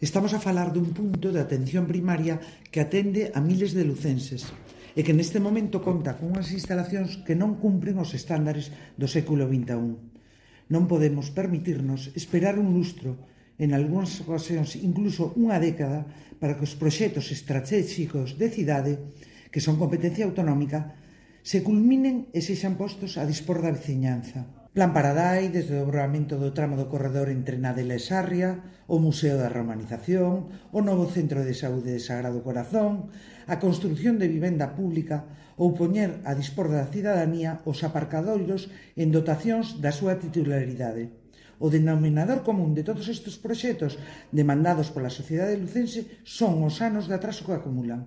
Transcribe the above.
Estamos a falar dun punto de atención primaria que atende a miles de lucenses e que neste momento conta con unhas instalacións que non cumpren os estándares do século XXI. Non podemos permitirnos esperar un lustro, en algúnas ocasións incluso unha década, para que os proxectos estratégicos de cidade, que son competencia autonómica, se culminen e sexan postos a dispor da veciñanza. Plan Paradai, desde o dobramento do tramo do corredor entre Nadela e Sarria, o Museo da Romanización, o novo Centro de Saúde de Sagrado Corazón, a construción de vivenda pública ou poñer a dispor da cidadanía os aparcadoiros en dotacións da súa titularidade. O denominador común de todos estes proxectos demandados pola sociedade lucense son os anos de atraso que acumulan.